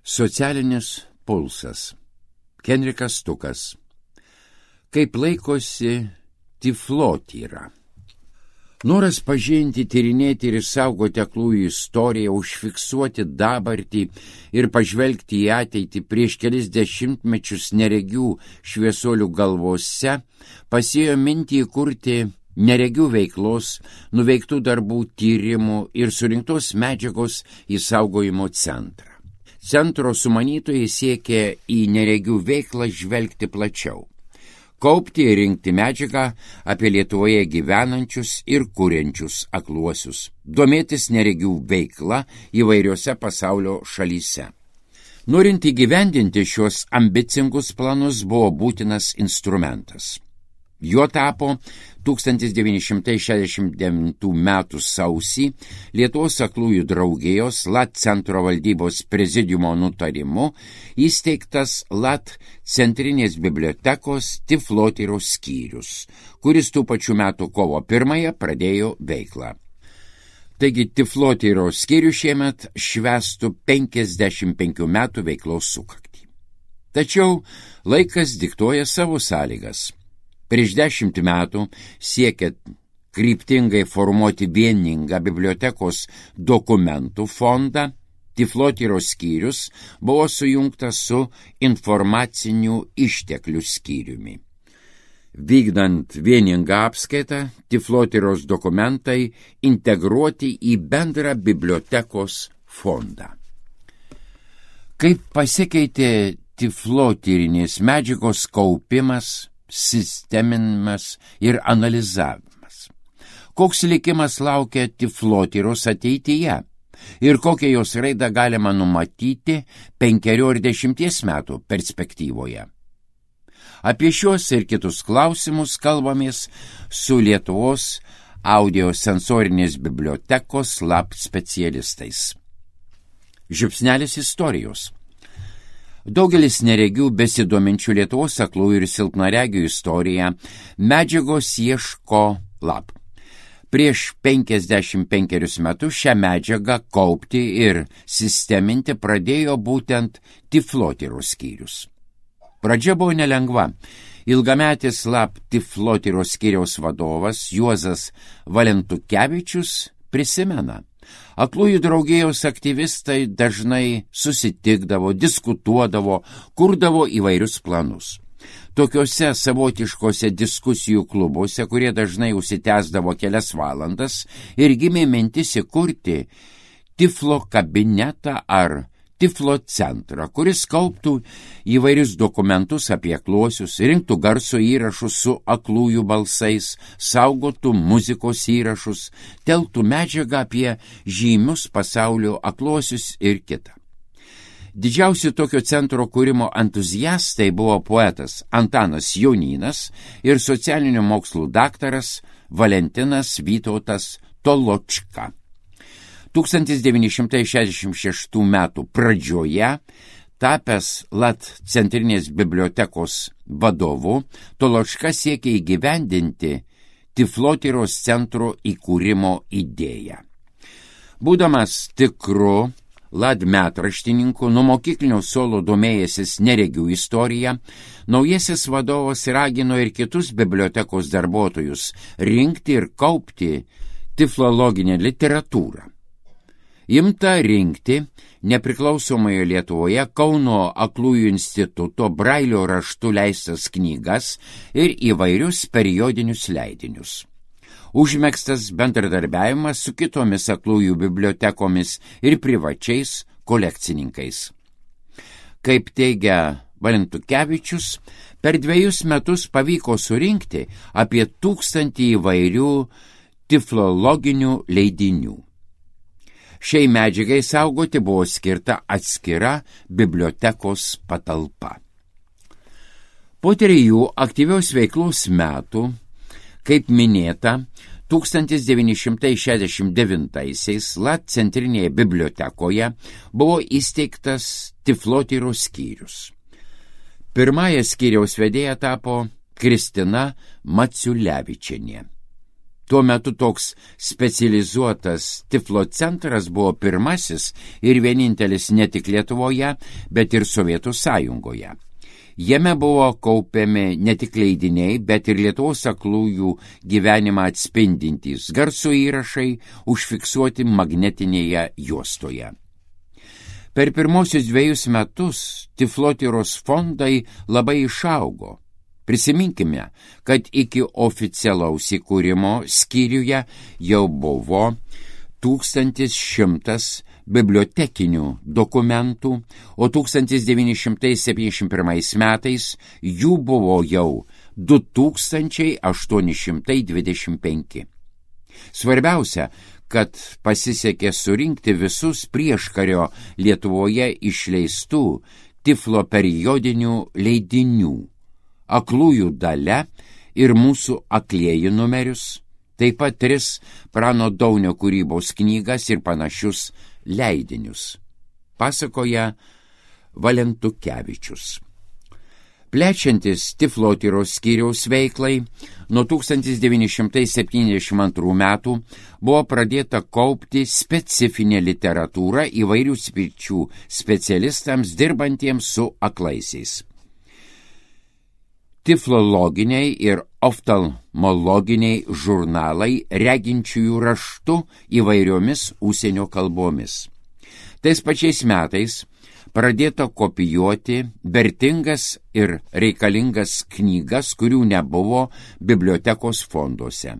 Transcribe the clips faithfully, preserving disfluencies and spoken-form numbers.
Socialinis pulsas. Henrikas Stukas. Kaip laikosi tiflotyra. Noras pažinti, tyrinėti ir išsaugoti aklųjų istoriją, užfiksuoti dabartį ir pažvelgti į ateitį prieš kelis dešimtmečius neregių šviesuolių galvose, pasėjo mintį įkurti neregių veiklos, nuveiktų darbų tyrimų ir surinktos medžiagos išsaugojimo centrą. Centro sumanytojai siekė į neregių veiklą žvelgti plačiau, kaupti ir rinkti medžiagą apie Lietuvoje gyvenančius ir kuriančius akluosius, domėtis neregių veikla įvairiose pasaulio šalyse. Norint įgyvendinti šios ambicingus planus buvo būtinas instrumentas. Juo tapo tūkstantis devyni šimtai šešiasdešimt devintų metų sausį Lietuvos aklųjų draugijos LAT centro valdybos prezidiumo nutarimu įsteigtas LAT centrinės bibliotekos tiflotyros skyrius, kuris tų pačių metų kovo pirmąją pradėjo veiklą. Taigi tiflotyros skyrius šiemet švęstų penkiasdešimt penkių metų veiklos sukaktį. Tačiau laikas diktuoja savo sąlygas. Prieš dešimt metų siekiant kryptingai formuoti vieningą bibliotekos dokumentų fondą, tiflotyros skyrius buvo sujungtas su informacinių išteklių skyriumi. Vykdant vieningą apskaitą, tiflotyros dokumentai integruoti į bendrą bibliotekos fondą. Kaip pasikeitė tiflotyrinės medžiagos kaupimas, sisteminimas ir analizavimas. Koks likimas laukia tiflotyros ateityje ir kokią jos raidą galima numatyti penkerių ir dešimties metų perspektyvoje. Apie šios ir kitus klausimus kalbamės su Lietuvos audiosensorinės bibliotekos LAT specialistais. Žiupsnelis istorijos. Daugelis neregių besidominčių Lietuvos aklųjų ir silpnaregių istoriją medžiagos ieško LAT. Prieš penkiasdešimt penkerius metus šią medžiagą kaupti ir sisteminti pradėjo būtent tiflotyros skyrius. Pradžia buvo nelengva. Ilgametis LAT tiflotyros skyriaus vadovas Juozas Valentukevičius prisimena. Aklųjų draugijos aktyvistai dažnai susitikdavo, diskutuodavo, kurdavo įvairius planus. Tokiuose savotiškose diskusijų klubuose, kurie dažnai užsitęsdavo kelias valandas, ir gimė mintis įkurti tiflo kabinetą ar tiflo centrą, kuris kauptų įvairius dokumentus apie akluosius, rinktų garso įrašus su aklųjų balsais, saugotų muzikos įrašus, telktų medžiagą apie žymius pasaulio akluosius ir kitą. Didžiausi tokio centro kūrimo entuziastai buvo poetas Antanas Jonynas ir socialinių mokslų daktaras Valentinas Vytautas Toločka. tūkstantis devyni šimtai šešiasdešimt šeštų metų pradžioje, tapęs LAT centrinės bibliotekos vadovu, Toločka siekė įgyvendinti tiflotyros centro įkūrimo idėją. Būdamas tikru LAT metraštininku, nuo mokyklinio suolo domėjęsis neregių istoriją, naujasis vadovas ragino ir kitus bibliotekos darbuotojus rinkti ir kaupti tiflologinę literatūrą. Imta rinkti nepriklausomoje Lietuvoje Kauno aklųjų instituto brailio raštu leistas knygas ir įvairius periodinius leidinius. Užmegztas bendradarbiavimas su kitomis aklųjų bibliotekomis ir privačiais kolekcininkais. Kaip teigia Valentukevičius, per dviejus metus pavyko surinkti apie tūkstantį įvairių tiflologinių leidinių. Šiai medžiagai saugoti buvo skirta atskira bibliotekos patalpa. Po trijų aktyvios veiklos metų, kaip minėta, tūkstantis devyni šimtai šešiasdešimt devintaisiais LAT centrinėje bibliotekoje buvo įsteigtas tiflotyros skyrius. Pirmąją skyriaus vedėja tapo Kristina Maciulevičienė. Tuo metu toks specializuotas Tiflo centras buvo pirmasis ir vienintelis ne tik Lietuvoje, bet ir Sovietų sąjungoje. Jame buvo kaupiami ne tik leidiniai, bet ir Lietuvos aklųjų gyvenimą atspindintys garso įrašai užfiksuoti magnetinėje juostoje. Per pirmosius dviejus metus Tiflotyros fondai labai išaugo. Prisiminkime, kad iki oficialaus įkūrimo skyriuje jau buvo tūkstantis šimtas bibliotekinių dokumentų, o tūkstantis devyni šimtai septyniasdešimt pirmais metais jų buvo jau du tūkstančiai aštuoni šimtai dvidešimt penki. Svarbiausia, kad pasisekė surinkti visus prieškario Lietuvoje išleistų Tiflo periodinių leidinių, Aklųjų dalia ir Mūsų aklieji numerius, taip pat tris Prano Daunio kūrybos knygas ir panašius leidinius, pasakoja Valentukevičius. Plečiantis Tiflotyros skyriaus veiklai, nuo tūkstantis devyni šimtai septyniasdešimt antrų metų buvo pradėta kaupti specifinė literatūra įvairių sričių specialistams dirbantiems su aklaisiais. Tiflologiniai ir oftalmologiniai žurnalai reginčiųjų raštu įvairiomis užsienio kalbomis. Tais pačiais metais pradėta kopijuoti vertingas ir reikalingas knygas, kurių nebuvo bibliotekos fonduose.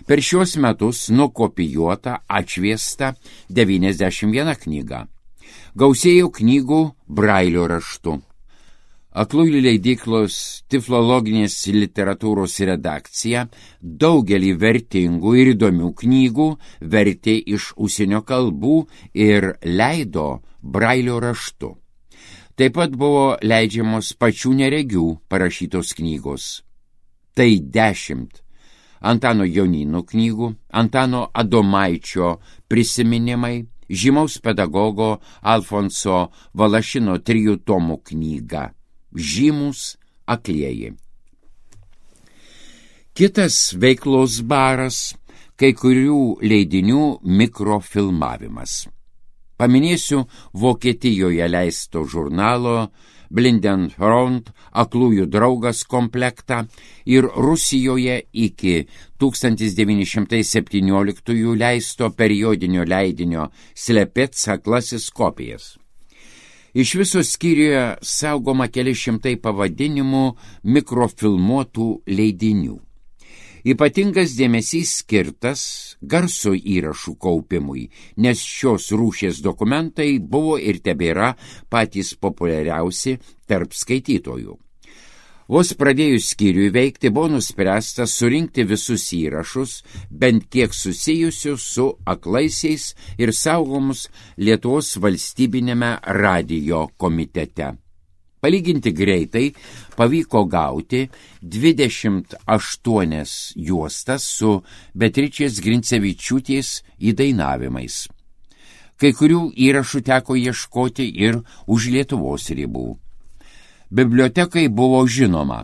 Per šios metus nukopijuota, atšviesta devyniasdešimt viena knyga. Gausėjo knygų brailio raštu. Aklųjų leidyklos Tiflologinės literatūros redakcija daugelį vertingų ir įdomių knygų vertė iš užsienio kalbų ir leido brailio raštu. Taip pat buvo leidžiamos pačių neregių parašytos knygos. Tai dešimt Antano Jonyno knygų, Antano Adomaičio prisiminimai, žymaus pedagogo Alfonso Valašino trijų tomų knyga Žymus aklieji. Kitas veiklos baras – kai kurių leidinių mikrofilmavimas. Paminėsiu Vokietijoje leisto žurnalo Blindenfront aklųjų draugas komplektą ir Rusijoje iki tūkstantis devyni šimtai septynioliktųjų leisto periodinio leidinio Slepec aklasis kopijas. Iš viso skyriuje saugoma keli šimtai pavadinimų mikrofilmuotų leidinių. Ypatingas dėmesys skirtas garso įrašų kaupimui, nes šios rūšies dokumentai buvo ir tebėra patys populiariausi tarp skaitytojų. Vos pradėjus skyriui veikti, buvo nuspręsta surinkti visus įrašus, bent kiek susijusius su aklaisiais ir saugomus Lietuvos valstybinėme radijo komitete. Palyginti greitai pavyko gauti dvidešimt aštuonias juostas su Beatričės Grincevičiūtės įdainavimais. Kai kurių įrašų teko ieškoti ir už Lietuvos ribų. Bibliotekai buvo žinoma,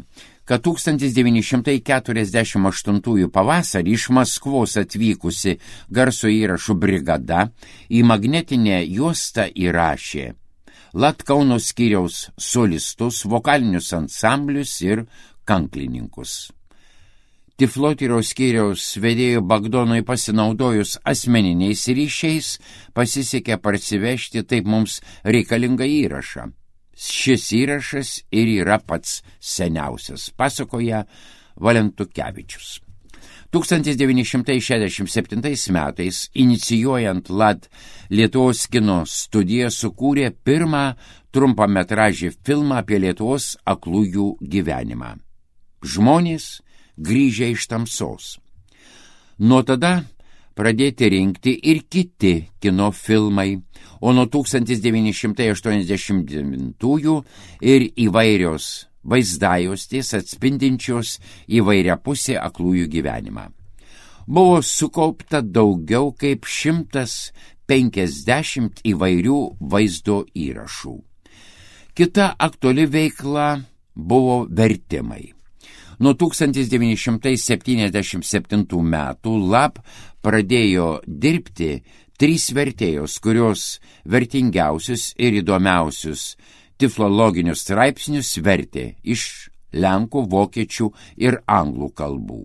kad tūkstantis devyni šimtai keturiasdešimt aštuntųjų pavasarį iš Maskvos atvykusi garso įrašų brigada į magnetinę juostą įrašė Latkauno skyriaus solistus, vokalinius ansamblius ir kanklininkus. Tiflotyros skyriaus vedėjo Bagdonui pasinaudojus asmeniniais ryšiais pasisekė parsivežti taip mums reikalingą įrašą. Šis įrašas ir yra pats seniausias, pasakoja Valentukevičius. tūkstantis devyni šimtai šešiasdešimt septintais metais, inicijuojant L A D Lietuvos kino studiją, sukūrė pirmą trumpametražį filmą apie Lietuvos aklųjų gyvenimą. Žmonės grįžę iš tamsos. Nuo tada pradėti rinkti ir kiti kino filmai, o nuo tūkstantis devyni šimtai aštuoniasdešimt devintųjų ir įvairios vaizdajostės atspindinčios įvairiapusį aklųjų gyvenimą. Buvo sukaupta daugiau kaip šimtas penkiasdešimt įvairių vaizdo įrašų. Kita aktuali veikla buvo vertimai. Nuo tūkstantis devyni šimtai septyniasdešimt septintų metų lab pradėjo dirbti trys vertėjos, kurios vertingiausius ir įdomiausius tiflologinius straipsnius vertė iš lenkų, vokiečių ir anglų kalbų.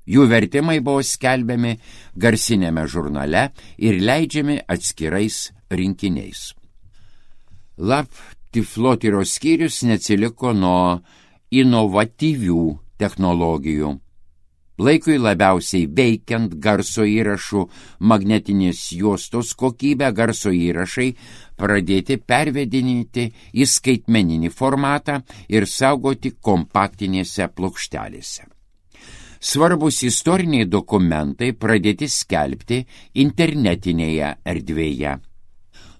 Jų vertimai buvo skelbiami garsinėme žurnale ir leidžiami atskirais rinkiniais. Lab tiflotyros skyrius neatsiliko nuo inovatyvių technologijų. Laikui labiausiai veikiant garso įrašų magnetinės juostos kokybę, garso įrašai pradėti pervedinėti į skaitmeninį formatą ir saugoti kompaktinėse plokštelėse. Svarbus istoriniai dokumentai pradėti skelbti internetinėje erdvėje.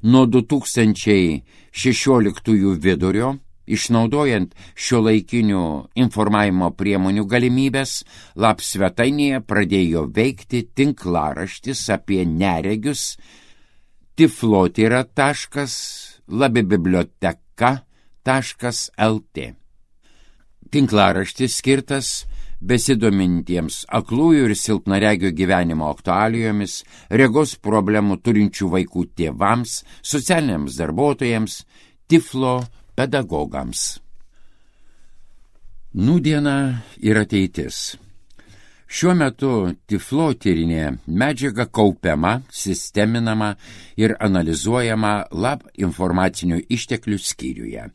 Nuo du tūkstančiai šešioliktųjų vidurio, išnaudojant šiuolaikinių informavimo priemonių galimybės, lab svetainėje pradėjo veikti tinklaraštis apie neregius tiflotyra taškas labibiblioteka taškas lt. Tinklaraštis skirtas besidomintiems aklųjų ir silpnaregių gyvenimo aktualijomis, regos problemų turinčių vaikų tėvams, socialiniams darbuotojams, tiflo pedagogams. Nūdiena ir ateitis. Šiuo metu tiflotyrinė medžiaga kaupiama, sisteminama ir analizuojama lab informacinių išteklių skyriuje.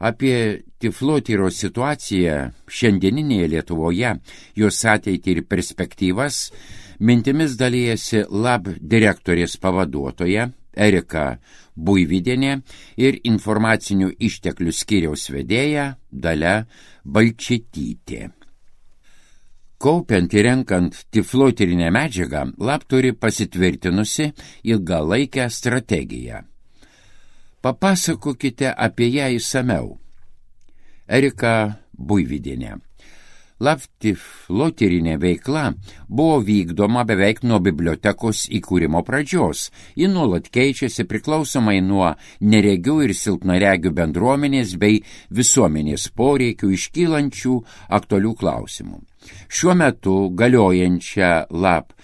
Apie tiflotyros situaciją šiandieninėje Lietuvoje, jos ateitį ir perspektyvas, mintimis dalijasi lab direktorės pavaduotoja Erika Buivydienė ir informacinių išteklių skyriaus vedėja Dalia Balčytytė. Kaupiant ir renkant tiflotyrinę medžiagą, lab turi pasitvirtinusi ilgalaikę strategiją. Papasakokite apie ją išsamiau. Erika Buivydienė. Lab tiflotyrinė veikla buvo vykdoma beveik nuo bibliotekos įkūrimo pradžios. Ji nuolat keičiasi priklausomai nuo neregių ir silpnaregių bendruomenės bei visuomenės poreikių iškylančių aktualių klausimų. Šiuo metu galiojančią lab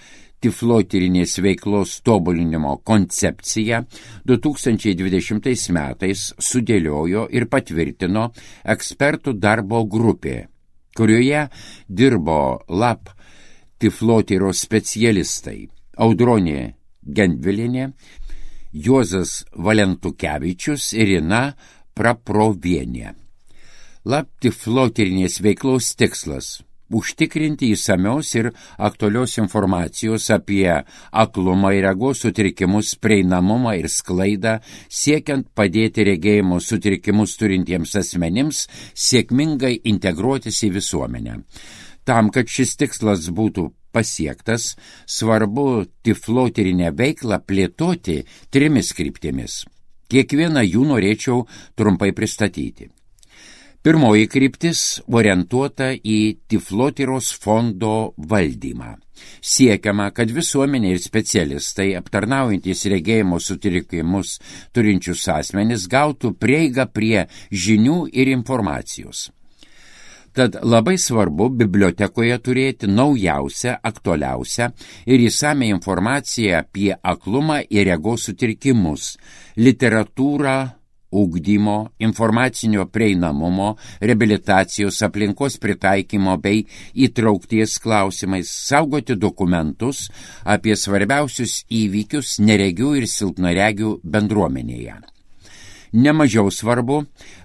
tiflotyrinės veiklos tobulinimo koncepciją du tūkstančiai dvidešimtais metais sudėliojo ir patvirtino ekspertų darbo grupė, kurioje dirbo lab tiflotyros specialistai Audronė Gendvilinė, Juozas Valentukevičius ir Ina Praprovienė. Lab tiflotyrinės veiklos tikslas – užtikrinti įsamios ir aktualios informacijos apie aklumą ir regos sutrikimus prieinamumą ir sklaidą, siekiant padėti regėjimo sutrikimus turintiems asmenims sėkmingai integruotis į visuomenę. Tam, kad šis tikslas būtų pasiektas, svarbu tiflotyrinę veiklą plėtoti trimis kryptimis. Kiekvieną jų norėčiau trumpai pristatyti. Pirmoji kryptis orientuota į tiflotyros fondo valdymą. Siekiama, kad visuomenė ir specialistai, aptarnaujantys regėjimo sutrikimus turinčius asmenis, gautų prieigą prie žinių ir informacijos. Tad labai svarbu bibliotekoje turėti naujausią, aktualiausią ir įsamią informaciją apie aklumą ir regos sutrikimus, literatūrą, ugdymo, informacinio prieinamumo, reabilitacijos, aplinkos pritaikymo bei įtraukties klausimais, saugoti dokumentus apie svarbiausius įvykius neregių ir silpnaregių bendruomenėje. Nemažiau svarbu,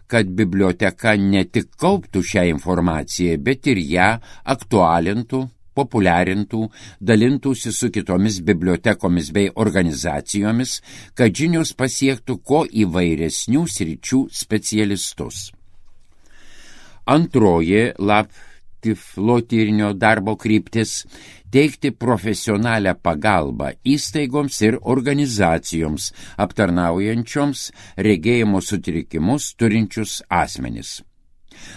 kad biblioteka ne tik kauptų šią informaciją, bet ir ją aktualintų, populiarintų, dalintųsi su kitomis bibliotekomis bei organizacijomis, kad žinios pasiektų kuo įvairesnių sričių specialistus. Antroji lab tiflotyrinio darbo kryptis – teikti profesionalią pagalbą įstaigoms ir organizacijoms, aptarnaujančioms regėjimo sutrikimus turinčius asmenis.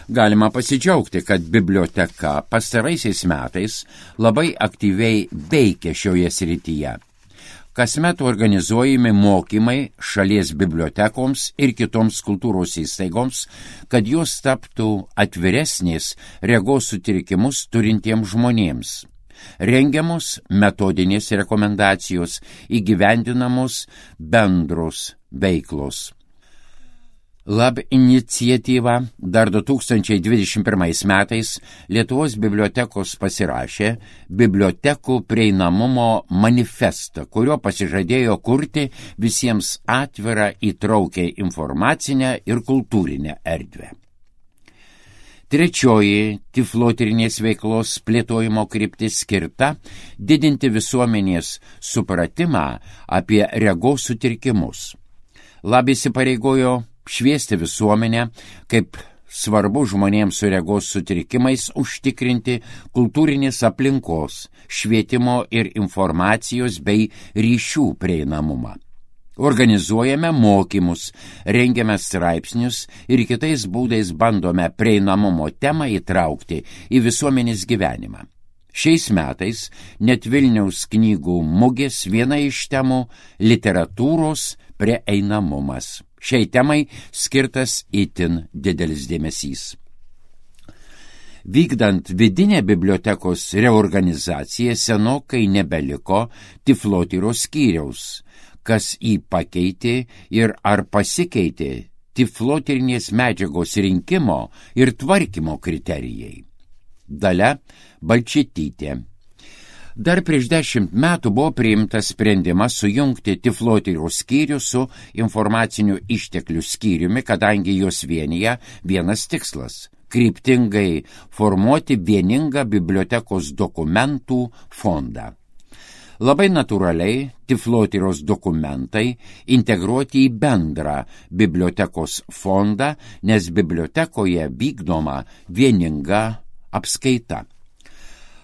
Galima pasidžiaugti, kad biblioteka pastaraisiais metais labai aktyviai veikia šioje srityje. Kasmet organizuojami mokymai šalies bibliotekoms ir kitoms kultūros įstaigoms, kad jos taptų atviresnės regos sutrikimus turintiems žmonėms. Rengiamos metodinės rekomendacijos, įgyvendinamos bendros veiklos. Lab iniciatyva dar du tūkstančiai dvidešimt pirmais metais Lietuvos bibliotekos pasirašė bibliotekų prieinamumo manifestą, kurio pasižadėjo kurti visiems atvirą įtraukę informacinę ir kultūrinę erdvę. Trečioji tiflotyrinės veiklos plėtojimo kryptis skirta didinti visuomenės supratimą apie regos sutrikimus. Lab įsipareigojo šviesti visuomenę, kaip svarbu žmonėms su regos sutrikimais užtikrinti kultūrinės aplinkos, švietimo ir informacijos bei ryšių prieinamumą. Organizuojame mokymus, rengiame straipsnius ir kitais būdais bandome prieinamumo temą įtraukti į visuomenės gyvenimą. Šiais metais net Vilniaus knygų mugės viena iš temų – literatūros prieinamumas. Šiai temai skirtas itin didelis dėmesys. Vykdant vidinę bibliotekos reorganizaciją senokai nebeliko tiflotyros skyriaus, kas jį pakeitė ir ar pasikeitė tiflotyrinės medžiagos rinkimo ir tvarkymo kriterijai. Dalia Balčytytė. Dar prieš dešimt metų buvo priimtas sprendimas sujungti tiflotyros skyrių su informacinių išteklių skyriumi, kadangi jos vienyje vienas tikslas – kryptingai formuoti vieningą bibliotekos dokumentų fondą. Labai natūraliai tiflotyros dokumentai integruoti į bendrą bibliotekos fondą, nes bibliotekoje vykdoma vieninga apskaita.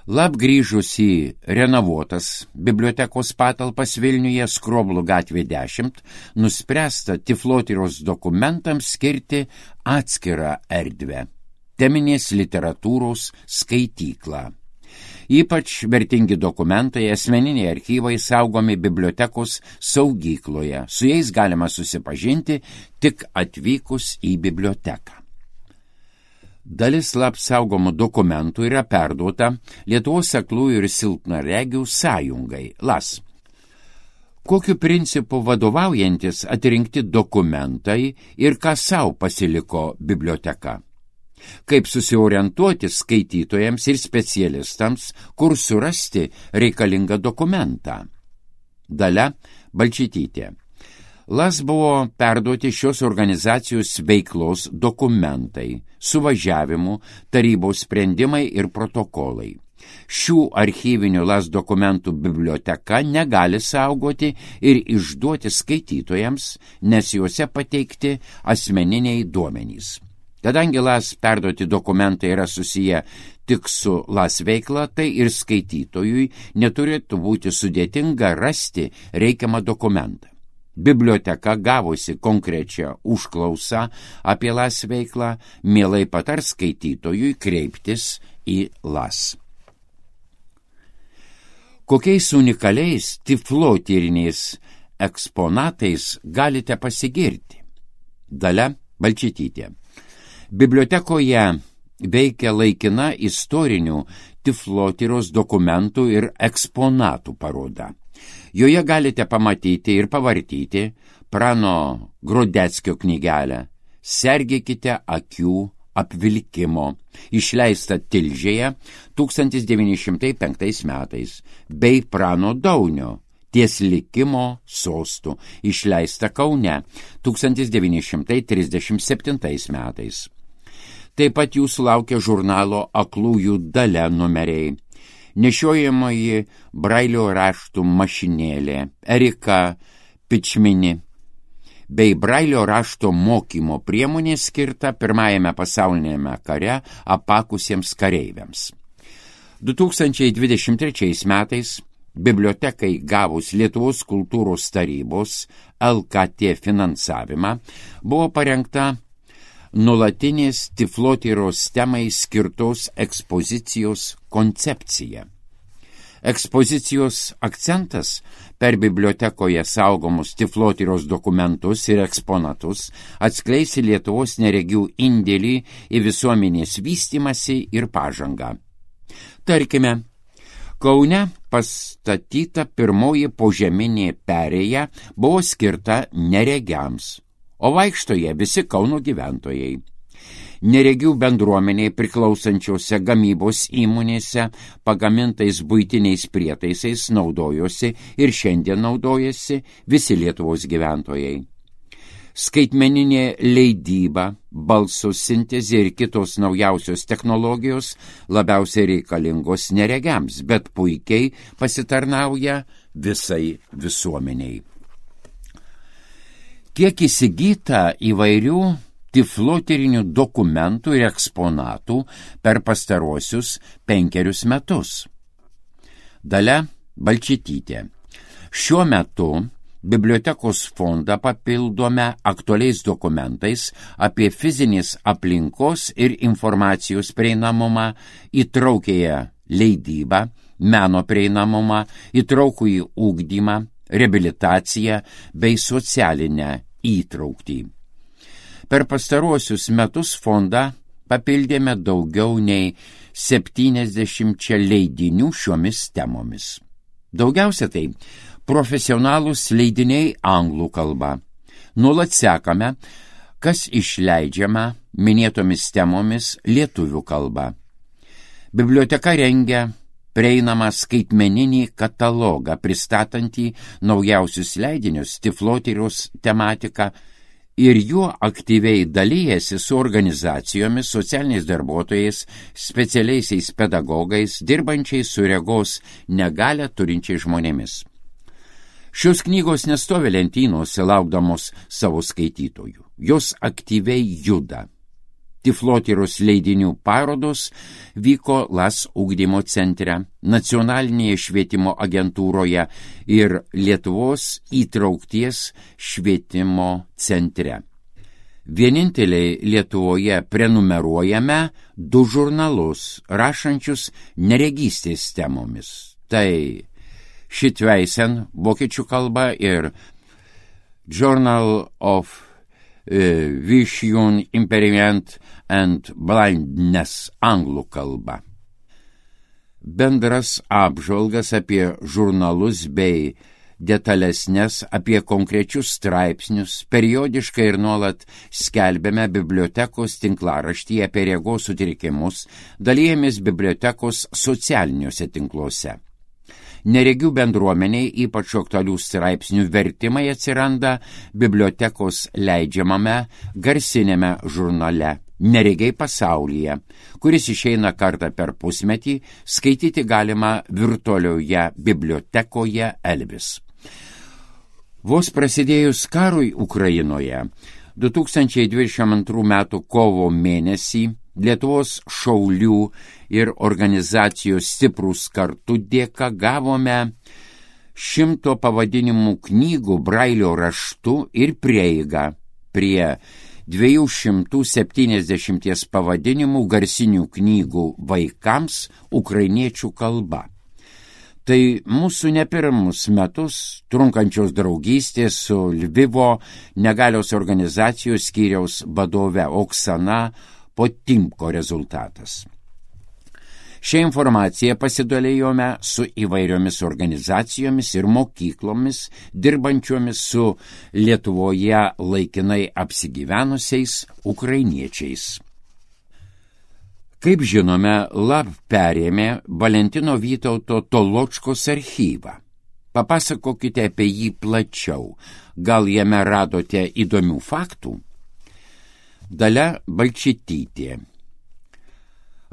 Lab grįžus į renovuotas bibliotekos patalpas Vilniuje Skroblų gatvė dešimt, nuspręsta tiflotyros dokumentams skirti atskirą erdvę – teminės literatūros skaityklą. Ypač vertingi dokumentai, asmeniniai archyvai saugomi bibliotekos saugykloje. Su jais galima susipažinti tik atvykus į biblioteką. Dalis Lab saugomų dokumentų yra perduota Lietuvos aklųjų ir silpnaregių sąjungai L A S. Kokiu principu vadovaujantis atrinkti dokumentai ir ką sau pasiliko biblioteka? Kaip susiorientuoti skaitytojams ir specialistams, kur surasti reikalingą dokumentą? Dalia Balčytytė. L A S buvo perduoti šios organizacijos veiklos dokumentai, suvažiavimų, tarybos sprendimai ir protokolai. Šių archyvinių L A S dokumentų biblioteka negali saugoti ir išduoti skaitytojams, nes juose pateikti asmeniniai duomenys. Kadangi L A S perduoti dokumentai yra susiję tik su L A S veikla, tai ir skaitytojui neturėtų būti sudėtinga rasti reikiamą dokumentą. Biblioteka gavusi konkrečią užklausą apie L A S veiklą, mielai patars skaitytojui kreiptis į L A S. Kokiais unikaliais tiflotyriniais eksponatais galite pasigirti? Dalia Balčytytė. Bibliotekoje veikia laikina istorinių tiflotyros dokumentų ir eksponatų paroda. Joje galite pamatyti ir pavartyti Prano Grodeckio knygelę Sergėkite akių apvilkimo, išleista Tilžėje tūkstantis devyni šimtai penktais metais, bei Prano Daunio Ties likimo sostų, išleista Kaune tūkstantis devyni šimtai trisdešimt septintais metais. Taip pat jūsų laukia žurnalo Aklųjų Dalia numeriai. Nešiojamoji Brailio raštų mašinėlė Erika Pičmini bei Brailio rašto mokymo priemonė skirta pirmajame pasaulinėme kare apakusiems kareiviams. du tūkstančiai dvidešimt trečiais metais bibliotekai gavus Lietuvos kultūros tarybos L K T finansavimą buvo parengta nuolatinės tiflotyros temai skirtos ekspozicijos koncepcija. Ekspozicijos akcentas per bibliotekoje saugomus tiflotyros dokumentus ir eksponatus atskleis Lietuvos neregių indėlį į visuomenės vystymąsi ir pažangą. Tarkime, Kaune pastatyta pirmoji požeminė perėja buvo skirta neregiams, o vaikšto jie visi Kauno gyventojai. Neregių bendruomeniai priklausančiose gamybos įmonėse pagamintais buitiniais prietaisais naudojosi ir šiandien naudojasi visi Lietuvos gyventojai. Skaitmeninė leidyba, balso sintezė ir kitos naujausios technologijos labiausiai reikalingos neregiams, bet puikiai pasitarnauja visai visuomeniai. Kiek įsigyta įvairių tiflotyrinių dokumentų ir eksponatų per pastaruosius penkerius metus. Dalia Balčytytė. Šiuo metu bibliotekos fondą papildome aktualiais dokumentais apie fizinės aplinkos ir informacijos prieinamumą, įtraukėją leidybą, meno prieinamumą, įtraukųjį ugdymą, reabilitaciją bei socialinę įtrauktį. Per pastaruosius metus fondą papildėme daugiau nei septyniasdešimčia leidinių šiomis temomis. Daugiausia tai profesionalūs leidiniai anglų kalba. Nuolat sekame, kas išleidžiama minėtomis temomis lietuvių kalba. Biblioteka rengia prieinamą skaitmeninį katalogą, pristatantį naujausius leidinius, tiflotyros tematiką, ir juo aktyviai dalyjasi su organizacijomis, socialiniais darbuotojais, specialiaisiais pedagogais, dirbančiais su regos negalią turinčiais žmonėmis. Šios knygos nestovi lentynose laukdamos savo skaitytojų. Jos aktyviai juda. Tiflotyros leidinių parodos vyko L A S ugdymo centre, Nacionalinėje švietimo agentūroje ir Lietuvos įtraukties švietimo centre. Vieninteliai Lietuvoje prenumeruojame du žurnalus, rašančius neregystės temomis. Tai Šitveisen vokiečių kalba ir Journal of uh, Vision, Impairment and Blindness anglų kalba. Bendras apžvalgas apie žurnalus bei detalesnės apie konkrečius straipsnius periodiškai ir nuolat skelbėme bibliotekos tinklaraštyje apie regos sutrikimus, dalijamės bibliotekos socialiniuose tinkluose. Neregių bendruomeniai ypač aktualių straipsnių vertimai atsiranda bibliotekos leidžiamame garsinėme žurnale Neregiai pasaulyje, kuris išeina kartą per pusmetį, skaityti galima virtualioje bibliotekoje Elvis. Vos prasidėjus karui Ukrainoje, du tūkstančiai dvidešimt antrų metų kovo mėnesį Lietuvos šaulių ir organizacijos Stiprūs kartu dėka gavome šimto pavadinimų knygų brailio raštu ir prieigą prie dviejų šimtų septyniasdešimties pavadinimų garsinių knygų vaikams ukrainiečių kalba. Tai mūsų ne pirmus metus trunkančios draugystės su Lvivo negalios organizacijos skyriaus vadove Oksana Potimko rezultatas. Šią informaciją pasidalėjome su įvairiomis organizacijomis ir mokyklomis, dirbančiomis su Lietuvoje laikinai apsigyvenusiais ukrainiečiais. Kaip žinome, L A B perėmė Valentino Vytauto Toločkos archyvą. Papasakokite apie jį plačiau. Gal jame radote įdomių faktų? Dalia Balčytytė.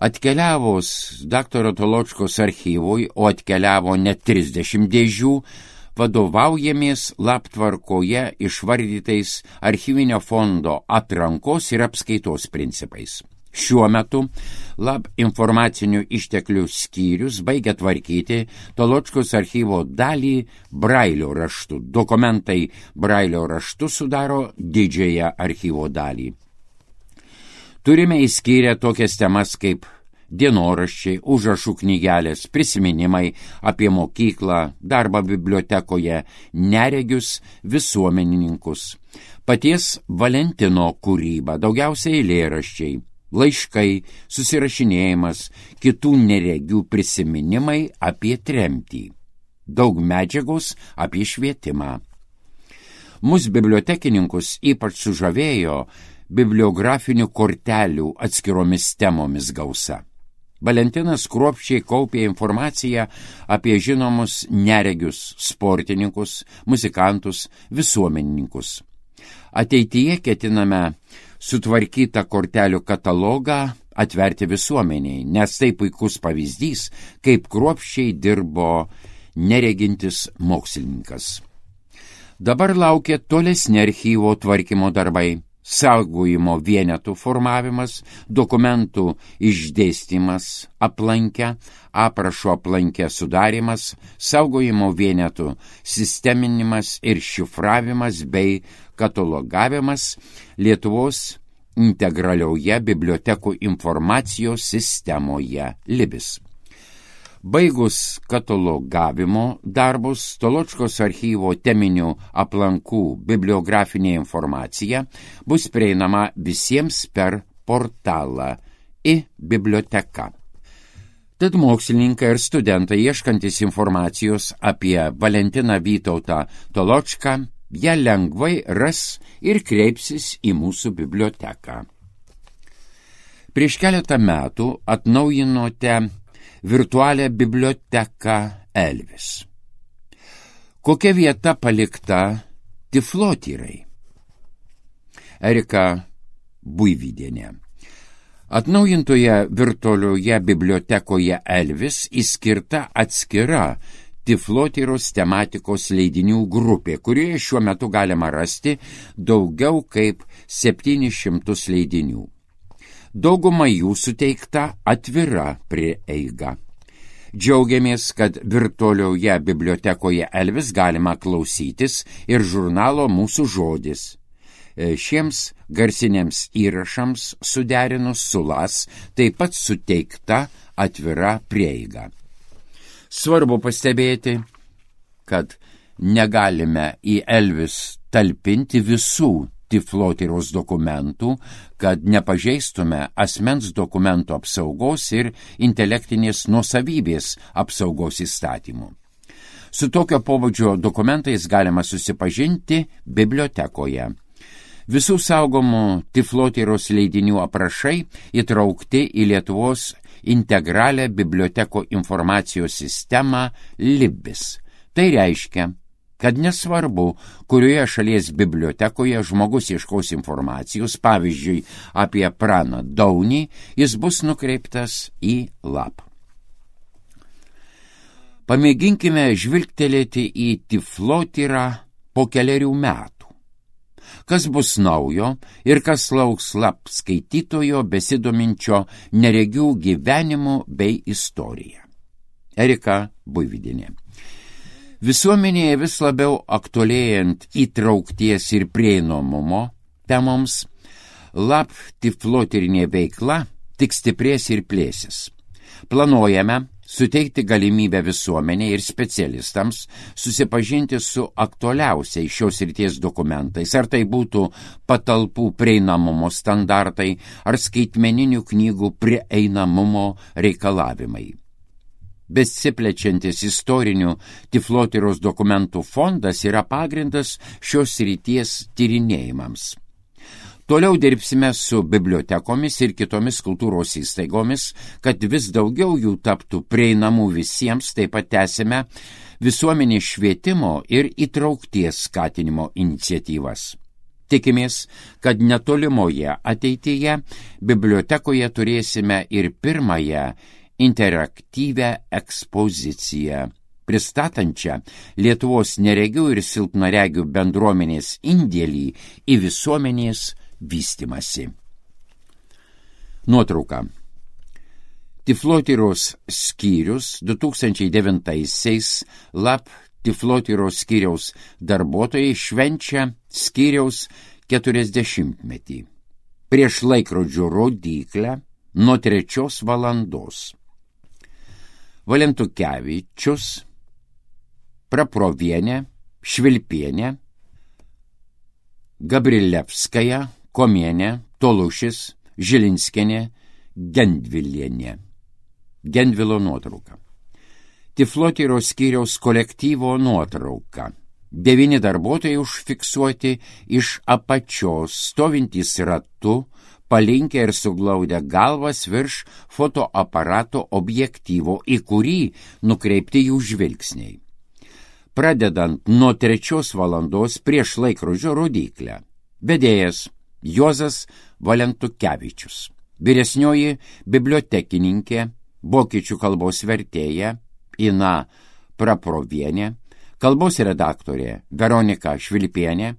Atkeliavus daktaro Toločkos archyvui, o atkeliavo net trisdešimt dėžių, vadovaujamės L A B tvarkoje išvardytais archyvinio fondo atrankos ir apskaitos principais. Šiuo metu L A B informacinių išteklių skyrius baigia tvarkyti Toločkos archyvo dalį brailio raštu. Dokumentai brailio raštu sudaro didžiąją archyvo dalį. Turime įskyrę tokias temas kaip dienoraščiai, užrašų knygelės, prisiminimai apie mokyklą, darbą bibliotekoje, neregius visuomenininkus, paties Valentino kūryba, daugiausiai eilėraščiai, laiškai, susirašinėjimas, kitų neregių prisiminimai apie tremtį, daug medžiagos apie švietimą. Mus bibliotekininkus ypač sužavėjo bibliografinių kortelių atskiromis temomis gausa. Valentinas kruopščiai kaupė informaciją apie žinomus neregius, sportininkus, muzikantus, visuomenininkus. Ateityje ketiname sutvarkytą kortelių katalogą atverti visuomeniai, nes tai puikus pavyzdys, kaip kruopščiai dirbo neregintis mokslininkas. Dabar laukia tolesni archyvo tvarkymo darbai, saugojimo vienetų formavimas, dokumentų išdėstymas aplankę, aprašo aplankę sudarimas, saugojimo vienetų sisteminimas ir šifravimas bei katalogavimas Lietuvos integralioje bibliotekų informacijos sistemoje Libis. Baigus katalogavimo darbus, Toločkos archyvo teminių aplankų bibliografinė informacija bus prieinama visiems per portalą i-biblioteka. Tad mokslininkai ir studentai ieškantis informacijos apie Valentiną Vytautą Toločką, ją lengvai ras ir kreipsis į mūsų biblioteką. Prieš keletą metų atnaujinote virtualią biblioteką Elvis. Kokia vieta palikta tiflotyrai? Erika Buivydienė. Atnaujintoje virtualioje bibliotekoje Elvis įskirta atskira tiflotyros tematikos leidinių grupė, kurioje šiuo metu galima rasti daugiau kaip septynis šimtus leidinių. Dauguma jų suteikta atvira prieiga. Džiaugiamės, kad virtualioje bibliotekoje Elvis galima klausytis ir žurnalo Mūsų žodis. Šiems garsiniams įrašams suderinus su las taip pat suteikta atvira prieiga. Svarbu pastebėti, kad negalime į Elvis talpinti visų tiflotyros dokumentų, kad nepažeistume asmens dokumento apsaugos ir intelektinės nuosavybės apsaugos įstatymų. Su tokio pobūdžio dokumentais galima susipažinti bibliotekoje. Visų saugomų tiflotyros leidinių aprašai įtraukti į Lietuvos integralią biblioteko informacijos sistemą Libis. Tai reiškia, kad nesvarbu, kurioje šalies bibliotekoje žmogus ieškos informacijos, pavyzdžiui, apie Praną Daunį, jis bus nukreiptas į lap. Pamėginkime žvilgtelėti į tiflotyrą po keliarių metų. Kas bus naujo ir kas lauks lap skaitytojo besidominčio neregių gyvenimu bei istorija. Erika Buivydienė. Visuomenėje vis labiau aktualėjant įtraukties ir prieinamumo temoms, lap tiflotyrinė veikla tik stiprės ir plėsis. Planuojame suteikti galimybę visuomeniai ir specialistams susipažinti su aktualiausiais šios srities dokumentais, ar tai būtų patalpų prieinamumo standartai, ar skaitmeninių knygų prieinamumo reikalavimai. Besiplečiantis istorinių tiflotyros dokumentų fondas yra pagrindas šios srities tyrinėjimams. Toliau dirbsime su bibliotekomis ir kitomis kultūros įstaigomis, kad vis daugiau jų taptų prieinamų visiems, taip pat tęsime visuomenės švietimo ir įtraukties skatinimo iniciatyvas. Tikimės, kad netolimoje ateityje bibliotekoje turėsime ir pirmąją interaktyvią ekspoziciją, pristatančią Lietuvos neregių ir silpnaregių bendruomenės indėlį į visuomenės vystymasi. Nuotrauka. Tiflotyros skyrius du tūkstančiai devintaisiais lap tiflotyros skyriaus darbuotojai švenčia skyriaus keturiasdešimtmetį. Prieš laikrodžio rodyklę nuo trečios valandos. Valentukevičius, Praprovienė, Švilpienė, Gabrilevskaja, Komienė, Tolušis, Žilinskienė, Gendvilienė. Gendvilo nuotrauka. Tiflotyro skyriaus kolektyvo nuotrauka. Devyni darbuotojai užfiksuoti iš apačios, stovintys ratu, palinkę ir suglaudę galvas virš fotoaparato objektyvo, į kurį nukreipti jų žvilgsniai. Pradedant nuo trečios valandos prieš laikrodžio rodyklę. Vedėjas Juozas Valentukevičius. Vyresnioji bibliotekininkė, vokiečių kalbos vertėja Ina Praprovienė, kalbos redaktorė Veronika Švilpienė,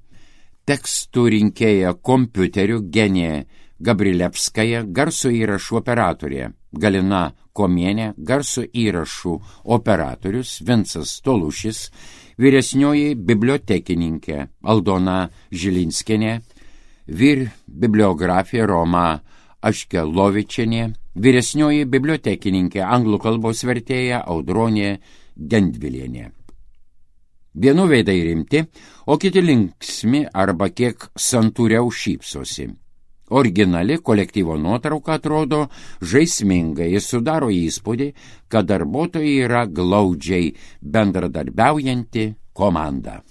tekstų rinkėja kompiuteriu Genė Gabrilevskaja, garso įrašų operatorė Galina Komienė, garso įrašų operatorius Vincas Tolušis, vyresnioji bibliotekininkė Aldona Žilinskienė, vyr bibliografė Roma Aškelovičienė, vyresnioji bibliotekininkė anglų kalbos vertėja Audronė Gendvilienė. Vienų veidai rimti, o kiti linksmi arba kiek santūriau šypsosi. Originali kolektyvo nuotrauka atrodo žaismingai ir sudaro įspūdį, kad darbuotojai yra glaudžiai bendradarbiaujanti komanda.